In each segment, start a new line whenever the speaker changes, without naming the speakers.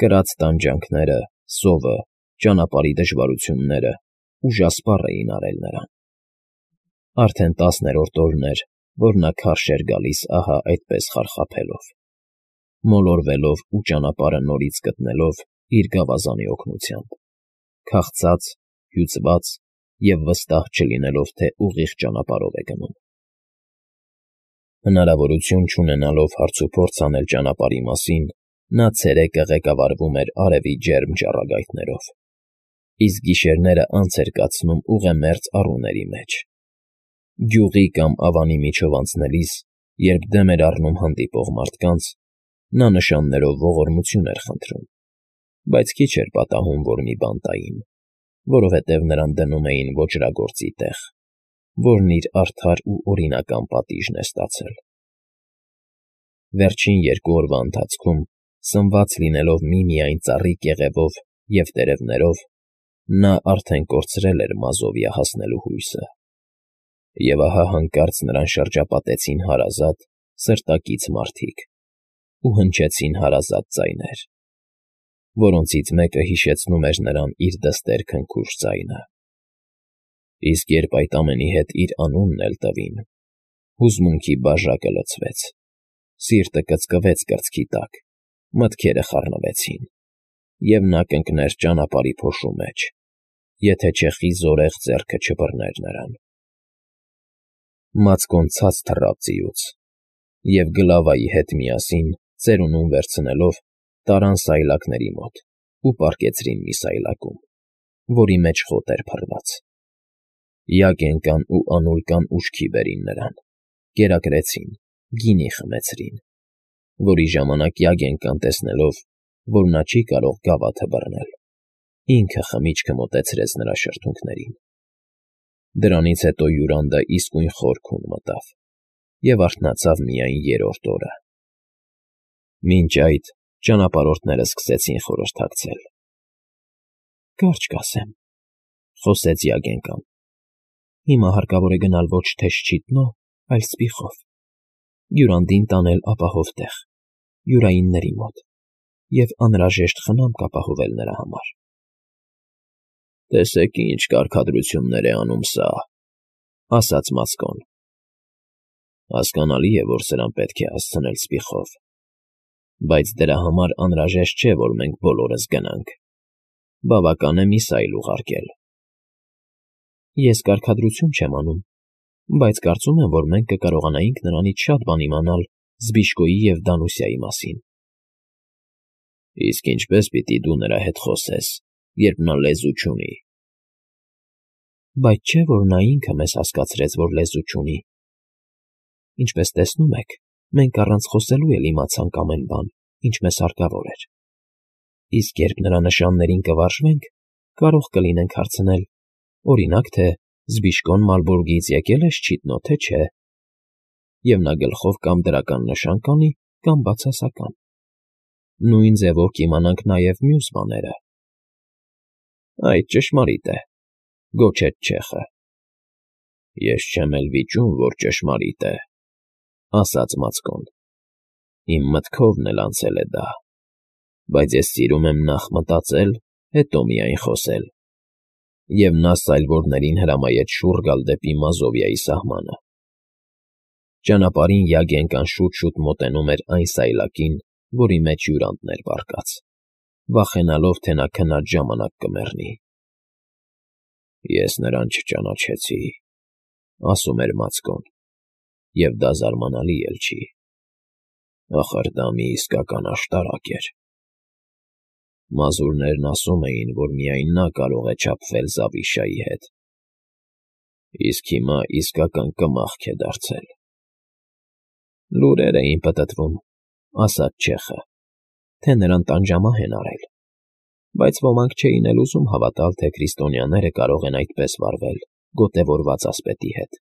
Կրած տանջանքները, սովը, ճանապարհի դժվարությունները ուժասպառ էին արել նրան։ Արդեն 10-րդ օրն էր, որ նա քարշ էր գալիս ահա այդպես խարխափելով, մոլորվելով ու ճանապարհը նորից գտնելով իր գավազանի օգնությամբ, քաղցած, հյուծված և վստահ չլինելով, թե ուղիղ ճանապարհով է գնում։ Հնարավորություն չունենալով հարցուփորձ անել ճանապարհի մասին, նա ցերեկը ղեկավարվում էր արևի ջերմ ճառագայթներով, իսկ գիշերները անց էր կացնում ուղեմերձ առուների մեջ։ Գյուղի կամ ավանի միջով անցնելիս, երբ դեմ էր առնում հանդիպող մարդկանց, նա նշաններով ողորմություն էր խնդրում, բայց քիչ էր պատահում, որ մի բան տային, որովհետև նրան դնում էին ոճրագործի տեղ, որն իր արդար ու օրինական պատիժն է ստացել։ Վերջին 2 օրվա ընթացքում, սնված լինելով միմիայն ծառի կեղևով և տերևներով, նա արդեն կորցրել էր մազովիա հասնելու հույսը։ Եվ ահա հանկարծ նրան շրջապատեցին հարազատ, սրտակից մարդիկ ու հնչեցին հարազատ ձայներ, որոնցից մեկը հիշեցնում էր նրան իր դստեր քնքուշ ձայնը։ Իսկ երբ այդ ամենի հետ իր անունն էլ տվին, հուզմունքի բաժակը լցվեց, սիրտը կծկվեց կրծքի տակ, մտքերը խառնվեցին, և նա կընկներ ճանապարհի փոշու մեջ, եթե չէ խիզորեղ ձեռքը չբռներ նրան։ Մածկոն ցած թռավ ձիուց, և գլավայի հետ միասին, ծերունուն վերցնելով, տարան սայլակների մոտ ու պառկեցրին մի սայլակում, որի մեջ խոտ էր փռված։ Յագենկան ու Անուլկան ուշքի բերին նրան, կերակրեցին, գինի խմեցրին, որի ժամանակ Յագենկան, տեսնելով, որ նա չի կարող գավաթը բռնել, ինքը խմիչքը մոտեցրեց նրա շրթունքներին։ Դրանից հետո հյուրանդը իսկույն խոր քուն մտավ և արթնացավ միայն 3-րդ օրը։ Մինչ այդ ճանապարհորդները սկսեցին խորհրդակցել։ «Կարճ կասեմ,֊ խոսեց Յագենկան,֊ հիմա հարկավոր է գնալ ոչ թե Շչիտնո, այլ Սպիխով, հյուրանդին տանել ապահով տեղ, հյուրայինների մոտ և անհրաժեշտ խնամք ապահովել նրա համար»։ «Տեսեք ինչ կարգադրություններ է անում սա,֊ ասաց Մածկոն։ Հասկանալի է, որ սրան պետք է հասցնել Սպիխով, բայց դրա համար անհրաժեշտ չէ, որ մենք բոլորս գնանք, բավական է մի սայլ ուղարկել»։ «Ես կարգադրություն չեմ անում, բայց կարծում եմ, որ մենք կկարողանայինք նրանից շատ բան իմանալ Զբիշկոյի և Դանուսիայի մասին»։ «Իսկ ինչպե՞ս պիտի դու նրա հետ խոսես, երբ նա լեզու չունի»։ «Բայց չէ՞ որ նա ինքը մեզ հասկացրեց, որ լեզու չունի։ Ինչպես տեսնում եք, մենք առանց խոսելու էլ իմացանք ամեն բան, ինչ մեզ հարկավոր էր։ Իսկ երբ նրա նշաններին կվարժվենք, կարող կլինենք հարցնել, օրինակ, թե Զբիշկոն Մալբուրգից եկել է Շչիտնո, թե չէ, և նա գլխով կամ դրական նշան կանի, կամ բացասական։ Նույն ձևով կիմանանք նաև մյուս բաները»։ «Այդ ճշմարիտ է,֊ գոչեց չեխը։ Ես չեմ էլ վիճում, որ ճշմարիտ է,֊ ասաց Մածկոն։ Իմ մտքովն էլ անցել է դա, բայց ես սիրում եմ նախ մտածել, հետո միայն խոսել։ Եվ նա սայլվորներին հրամայեց շուռ գալ դեպի Մազովիայի սահմանը։ Ճանապարհին Յագենկան շուտ-շուտ մոտենում էր այն սայլակին, որի մեջ հյուրանդն էր պառկած, վախենալով, թե նա քնած ժամանակ կմեռնի։ «Ես նրան չճանաչեցի,֊ ասում էր Մածկոն,֊ և դա զարմանալի էլ չի։ Ախր դա մի իսկական աշտարակ էր։ Մազուրներն ասում էին, որ միայն նա կարող է չափվել Զավիշայի հետ։ Իսկ հիմա իսկական կմախք է դարձել»։ «Լուրեր էին պտտվում,֊ ասաց չեխը,֊ թե նրան տանջամահ են արել, բայց ոմանք չէին էլ ուզում հավատալ, թե քրիստոնյաները կարող են այդպես վարվել գոտևորված ասպետի հետ,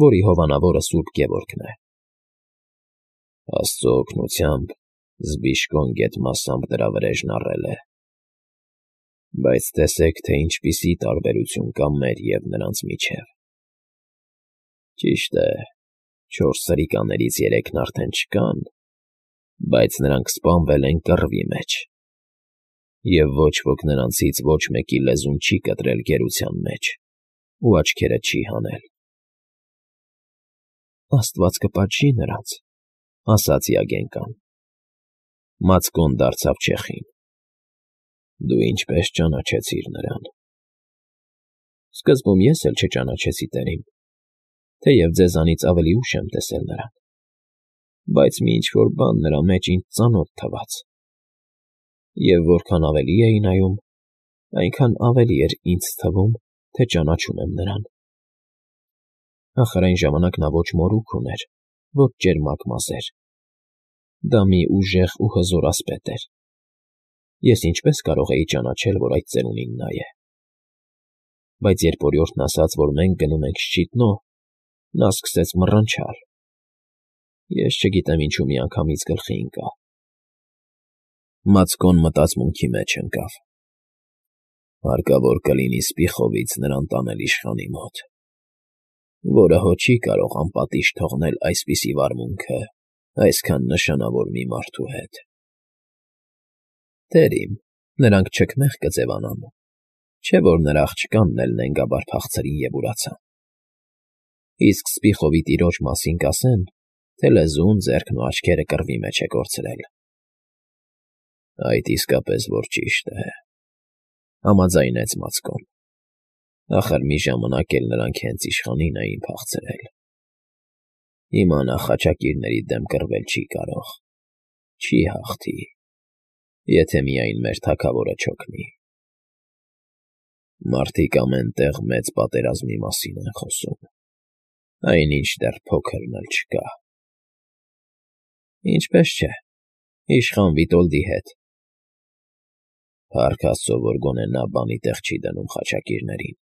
որի հովանավորը Սուրբ Գևորգն է։ Աստծո օգնությամբ Զբիշկոն գեթ մասամբ դրա վրեժն առել է։ Բայց տեսեք, թե ինչպիսի տարբերություն կա մեր և նրանց միջև։ Ճիշտ է, 4 սրիկաներից 3-ն արդեն չկան, բայց նրանք սպանվել են կռվի մեջ, Եվ ոչ ոք նրանցից ոչ մեկի լեզուն չի կտրել գերության մեջ ու աչքերը չի հանել։ «Աստված կպատժի նրանց», ասաց Յագենկան։ Մացկոն դարձավ չեխին։ «Դու ինչպես ճանաչեցիր նրան»։ Սկզբում ես էլ չճանաչեցի տերին, թեև ձեզանից ավելի ուշ եմ տեսել նրան, բայց մի ինչ-որ բան նրա մեջ ինձ ծանոթ թվաց, և որքան ավելի էի նայում, այնքան ավելի էր ինձ թվում, թե ճանաչում եմ նրան։ Ախր այն ժամանակ նա ոչ մորուք ուներ, ոչ ճերմակ մազեր։ Դա մի ուժեղ ու հզոր ասպետ էր։ Ես ինչպես կարող էի ճանաչել, որ այդ ծերունին նա է։ Բայց երբ օրիորդն ասաց, որ մենք գնում ենք Շչիտնո, նա սկսեց մռնչալ։ Ես չգիտեմ ինչու միանգամից գլխի ընկա։ Մացկոն մտածմունքի մեջ ընկավ։ Հարկավոր կլինի Սպիխովից նրան տանել իշխանի մոտ, որը հո չի կարող անպատիժ թողնել այսպիսի վարմունքը այսքան նշանավոր մի մարդու հետ։ Տեր իմ, նրանք չքմեղ կձևանան, չէ՞ որ նրա աղջկանն էլ նենգաբար փախցրին և ուրացան։ Իսկ Սպիխովի տիրոջ մասին կասեն, թե լեզուն, ձեռքն ու աչքերը կռվի մեջ է կորցրել։ Այդ իսկապես որ ճիշտ է, համաձայնեց Մացկոն։ Ախր մի ժամանակ էլ նրանք հենց իշխանին էին փախցրել։ Հիմա նա խաչակիրների դեմ կռվել չի կարող, չի հաղթի, եթե միայն մեր թագավորը չօգնի։ Մարդիկ ամեն տեղ մեծ պատերազմի մասին են խոսում, այնինչ դեռ փոքրն էլ չկա։ Ինչպես չէ, իշխան Վիտոլդի հետ։ Փառք Աստծո, որ գոնե նա բանի տեղ չի դնում խաչակիրներին։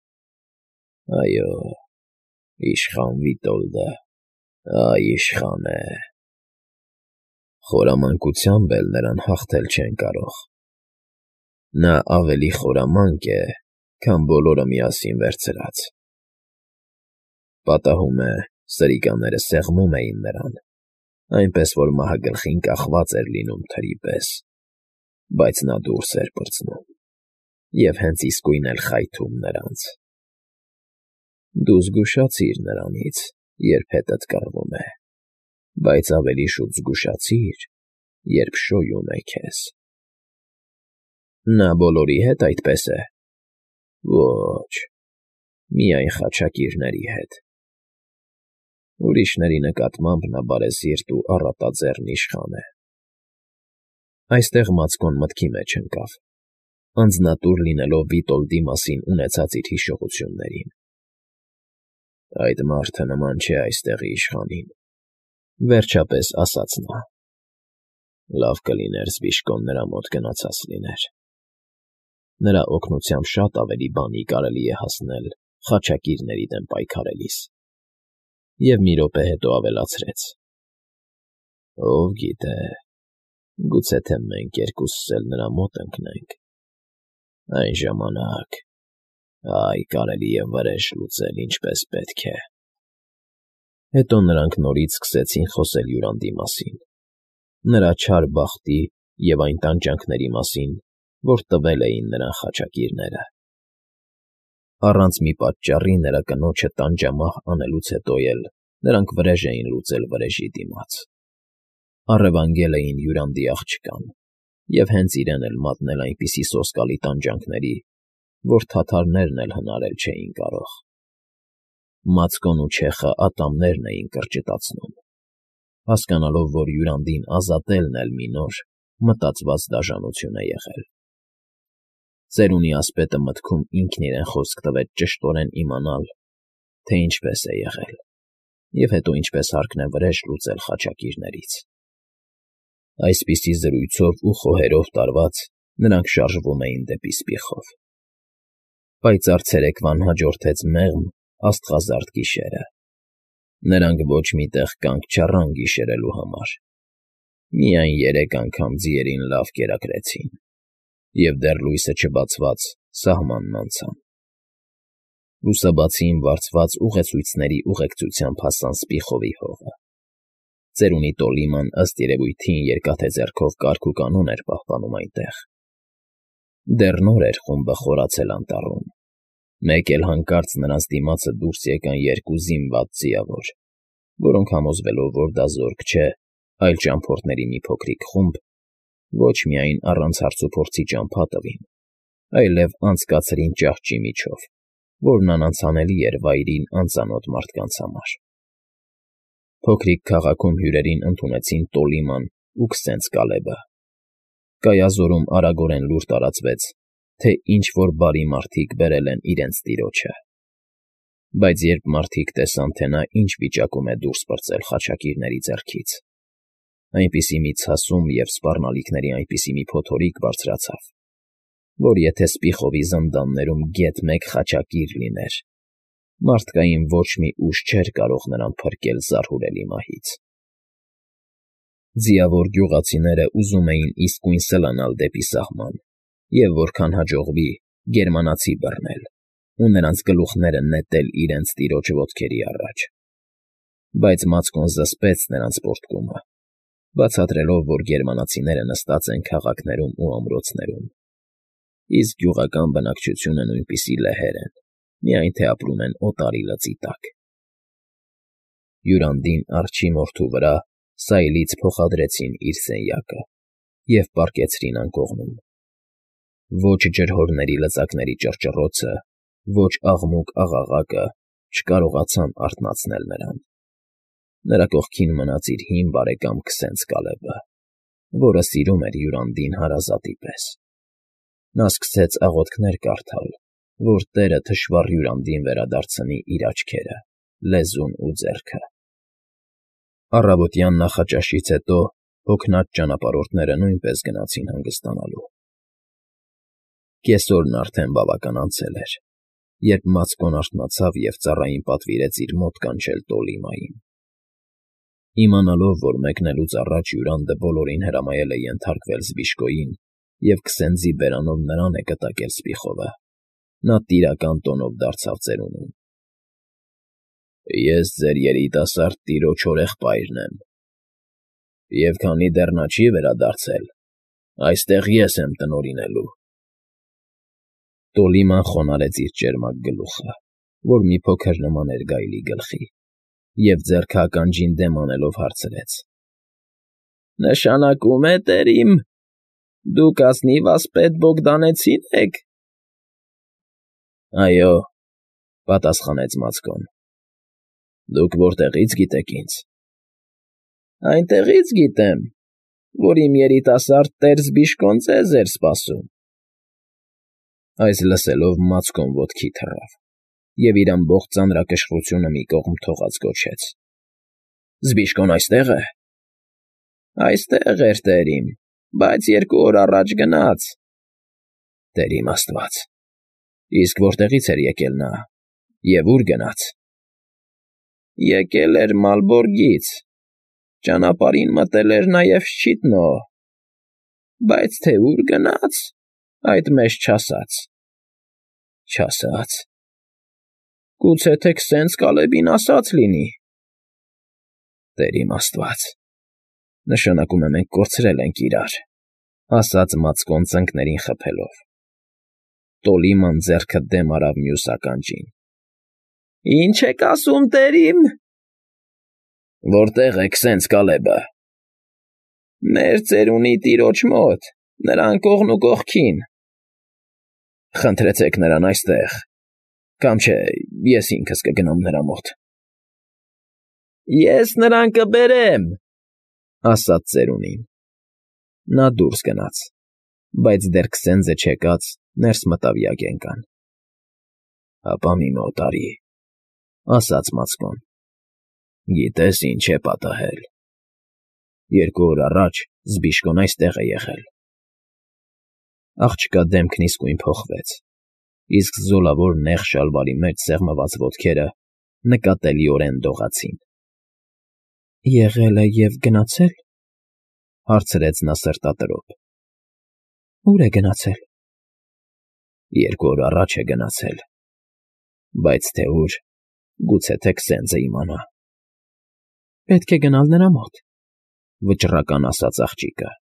Այո, իշխան Վիտոլդը, այ իշխան է։ Խորամանկությամբ էլ նրան հաղթել չեն կարող։ Նա ավելի խորամանկ է, քան բոլորը միասին վերցրած։ Պատահում է, սրիկաները սեղմում էին նրան, այնպես որ մահագլխին կախված էր լինում թրի պես, բայց նա դուրս էր պրծնում և հենց իսկույն էլ խայթում նրանց։ Դու զգուշացիր նրանից, երբ հետդ կռվում է, բայց ավելի շուտ զգուշացիր, երբ շոյում է քեզ։ Նա բոլորի հետ այդպես է։ Ոչ, միայն խաչակիրների հետ։ Ուրիշների նկատմամբ նա բարեսիրտ ու առատաձեռն իշխան է։ Այստեղ Մացկոն մտքի մեջ ընկավ, անձնատուր լինելով Վիտոլդի մասին ունեցած իր հիշողություններին։ Այդ մարդը նման չէ այստեղի իշխանին, վերջապես ասաց նա։ Լավ կլիներ Զբիշկոն նրա մոտ գնացած լիներ։ Նրա օգնությամբ շատ ավելի բանի կարելի է հասնել խաչակիրների դեմ պայքարելիս։ Եվ մի րոպե հետո ավելացրեց. Ով գիտե, գուցե թե մենք երկուսս էլ նրա մոտ ընկնենք։ Այն ժամանակ, այ կարելի է վրեժ լուծել ինչպես պետք է։ Հետո նրանք նորից սկսեցին խոսել Յուրանդի մասին, նրա չար բախտի և այն տանջանքների մասին, որ տվել էին նրան խաչակիրները։ Առանց մի պատճառի նրա կնոջը տանջամահ անելուց հետո էլ նրանք վրեժ էին լուծել վրեժի դիմաց։ Առևանգել էին Յուրանդի աղջկան և հենց իրեն էլ մատնել այնպիսի սոսկալի տանջանքների, որ թաթարներն էլ հնարել չէին կարող։ Մացկոն ու չեխը ատամներն էին կրճտացնում, հասկանալով, որ Յուրանդին ազատելն էլ մի նոր, մտածված դաժանություն է եղել։ Ծերունի ասպետը մտքում ինքն իրեն խոսք տվեց ճշտորեն իմանալ, թե ինչպես է եղել, և հետո ինչպես հարկն է վրեժ լուծել խաչակիրներից։ Այսպիսի զրույցով ու խոհերով տարված նրանք շարժվում էին դեպի Սպիխով։ Պայծառ ցերեկվան հաջորդեց մեղմ, աստղազարդ գիշերը։ Նրանք ոչ մի տեղ կանգ չառան գիշերելու համար։ Միայն 3 անգամ ձիերին լավ կերակրեցին և դեռ լույսը չբացված սահմանն անցան։ Լուսաբացին վարձված ուղեցույցների ուղեկցությամբ հասան Սպիխովի հողը։ Ծերունի Տոլիման ըստ երևույթին երկաթե ձեռքով կարգ ու կանոն էր պահպանում այնտեղ։ Դեռ նոր էր խումբը խորացել անտառում, մեկ էլ հանկարծ նրանց դիմացը դուրս եկան երկու զինված ձիավոր, որոնք համոզվելով, որ դա զորք չէ, այլ ճամփորդների մի փոքրիկ խումբ, ոչ միայն առանց հարցուփորձի ճամփա տվին, այլև անցկացրին ճահճի միջով, որն անանցանելի էր վայրին անծանոթ մարդկանց համար։ Փոքրիկ քաղաքում հյուրերին ընդունեցին Տոլիման ու Քսենց Կալեբը։ Կայազորում արագորեն լուր տարածվեց, թե ինչ-որ բարի մարդիկ բերել են իրենց տիրոջը։ Բայց երբ մարդիկ տեսան, թե նա ինչ վիճակում է դուրս պրծել խաչակիրների ձեռքից, այնպիսի մի ցասում և սպառնալիքների այնպիսի մի փոթորիկ բարձրացավ, որ եթե Սպիխովի զնդաններում գեթ մեկ խաչակիր լիներ, մարդկային ոչ մի ուժ չէր կարող նրան փրկել զարհուրելի մահից։ Ձիավոր գյուղացիները ուզում էին իսկույն սլանալ դեպի սահման և որքան հաջողվի գերմանացի բռնել ու նրանց գլուխները նետել իրենց տիրոջ ոտքերի առաջ։ Բայց Մացկոն զսպեց նրանց պոռթկումը, բացատրելով, որ գերմանացիները նստած են քաղաքներում ու ամրոցներում, իսկ գյուղական բնակչությունը նույնպիսի լեհեր են, միայն թե ապրում են օտարի լծի տակ։ Յուրանդին արջի մորթու վրա սայլից փոխադրեցին իր սենյակը և պառկեցրին անկողնում։ Ոչ ջրհորների լծակների ճռճռոցը, ոչ աղմուկ աղաղակը չկարողացան արթնացնել նրան։ Նրա կողքին մնաց իր հին բարեկամ Քսենց Կալեբը, որը սիրում էր Յուրանդին հարազատի պես։ Նա սկսեց աղոթքներ կարդալ, որ Տերը թշվառ Յուրանդին վերադարձնի իր աչքերը, լեզուն ու ձեռքը։ Առավոտյան նախաճաշից հետո հոգնած ճանապարհորդները նույնպես գնացին հանգստանալու։ Կեսօրն արդեն բավական անցել էր, երբ Մացկոն արթնացավ և ծառային պատվիրեց իր մոտ կանչել Տոլիմային։ Իմանալով, որ մեկնելուց առաջ Յուրանդը բոլորին հրամայել է ենթարկվել Զբիշկոյին և Քսենձի բերանով նրան է կտակել Սպիխովը, նա տիրական տոնով դարձավ ծերունուն. «Ես ձեր երիտասարդ տիրոջ հորեղբայրն եմ, և քանի դեռ նա չի վերադարձել, այստեղ ես եմ տնօրինելու»։ Տոլիման խոնարհեց իր ճերմակ գլուխը, որ մի փոքր նման էր գայլի գլխի, և ձեռքը ականջին դեմ անելով հարցրեց. «Նշանակում է, տերիմ, դուք ազնիվ ասպետ Բոգդանեցին եք»։ «Այո», պատասխանեց Մացկոն։ «Դուք որտեղի՞ց գիտեք ինձ»։ «Այնտեղից գիտեմ, որ իմ երիտասարդ տեր Զբիշկոն ձեզ էր սպասում»։ Այս լսելով Մացկոն ոտքի թռավ և իր ամբողջ ծանրակշռությունը մի կողմ թողած գոչեց. «Զբիշկոն այստե՞ղ է»։ «Այստեղ էր, տերիմ, բայց 2 օր առաջ գնաց»։ «Տեր իմ աստված, իսկ որտեղից էր եկել նա և ո՞ւր գնաց»։ «Եկել էր Մալբորգից, ճանապարհին մտել էր նաև Շչիտնո, բայց թե ուր գնաց, այդ մեզ չասաց»։ «Չասա՞ց»։ «Գուցե թե Քսենց Կալեբին ասած լինի»։ «Տեր իմ աստված, նշանակում է մենք կորցրել ենք իրար», ասաց Մացկոն ծնկներին խփելով։ Տոլիման ձեռքը դեմ արավ մյուս ականջին։ «Ի՞նչ եք ասում, տերիմ»։ «Որտե՞ղ է Քսենց Կալեբը»։ «Մեր ծերունի տիրոջ մոտ, նրա անկողն ու կողքին»։ «Խնդրեցեք նրան այստեղ, կամ չէ ես ինքս կգնամ նրա մոտ»։ «Ես նրան կբերեմ», ասաց ծերունին։ Նա դուրս գնաց, բայց դեռ Քսենձը չեկած ներս մտավ յագենկան։ «Հապա մի մոտ արի», ասաց Մացկոն։ «Գիտես ինչ է պատահել։ 2 օր առաջ Զբիշկոն այստեղ է եղել»։ Աղջկա դեմքն իսկույն փոխվեց, իսկ զոլավոր նեղ շալվարի մեջ սեղմված ոտքերը նկատելիորեն դողացին։ «Եղել է և գնացե՞լ», հարցրեց նա սրտատրոփ։ «Ո՞ւր է գնացել»։ 2 օր առաջ է գնացել, բայց թե ուր, գուցե թե Քսենձը իմանա։ «Պետք է գնալ նրա մոտ», վճռական ասաց աղջիկը։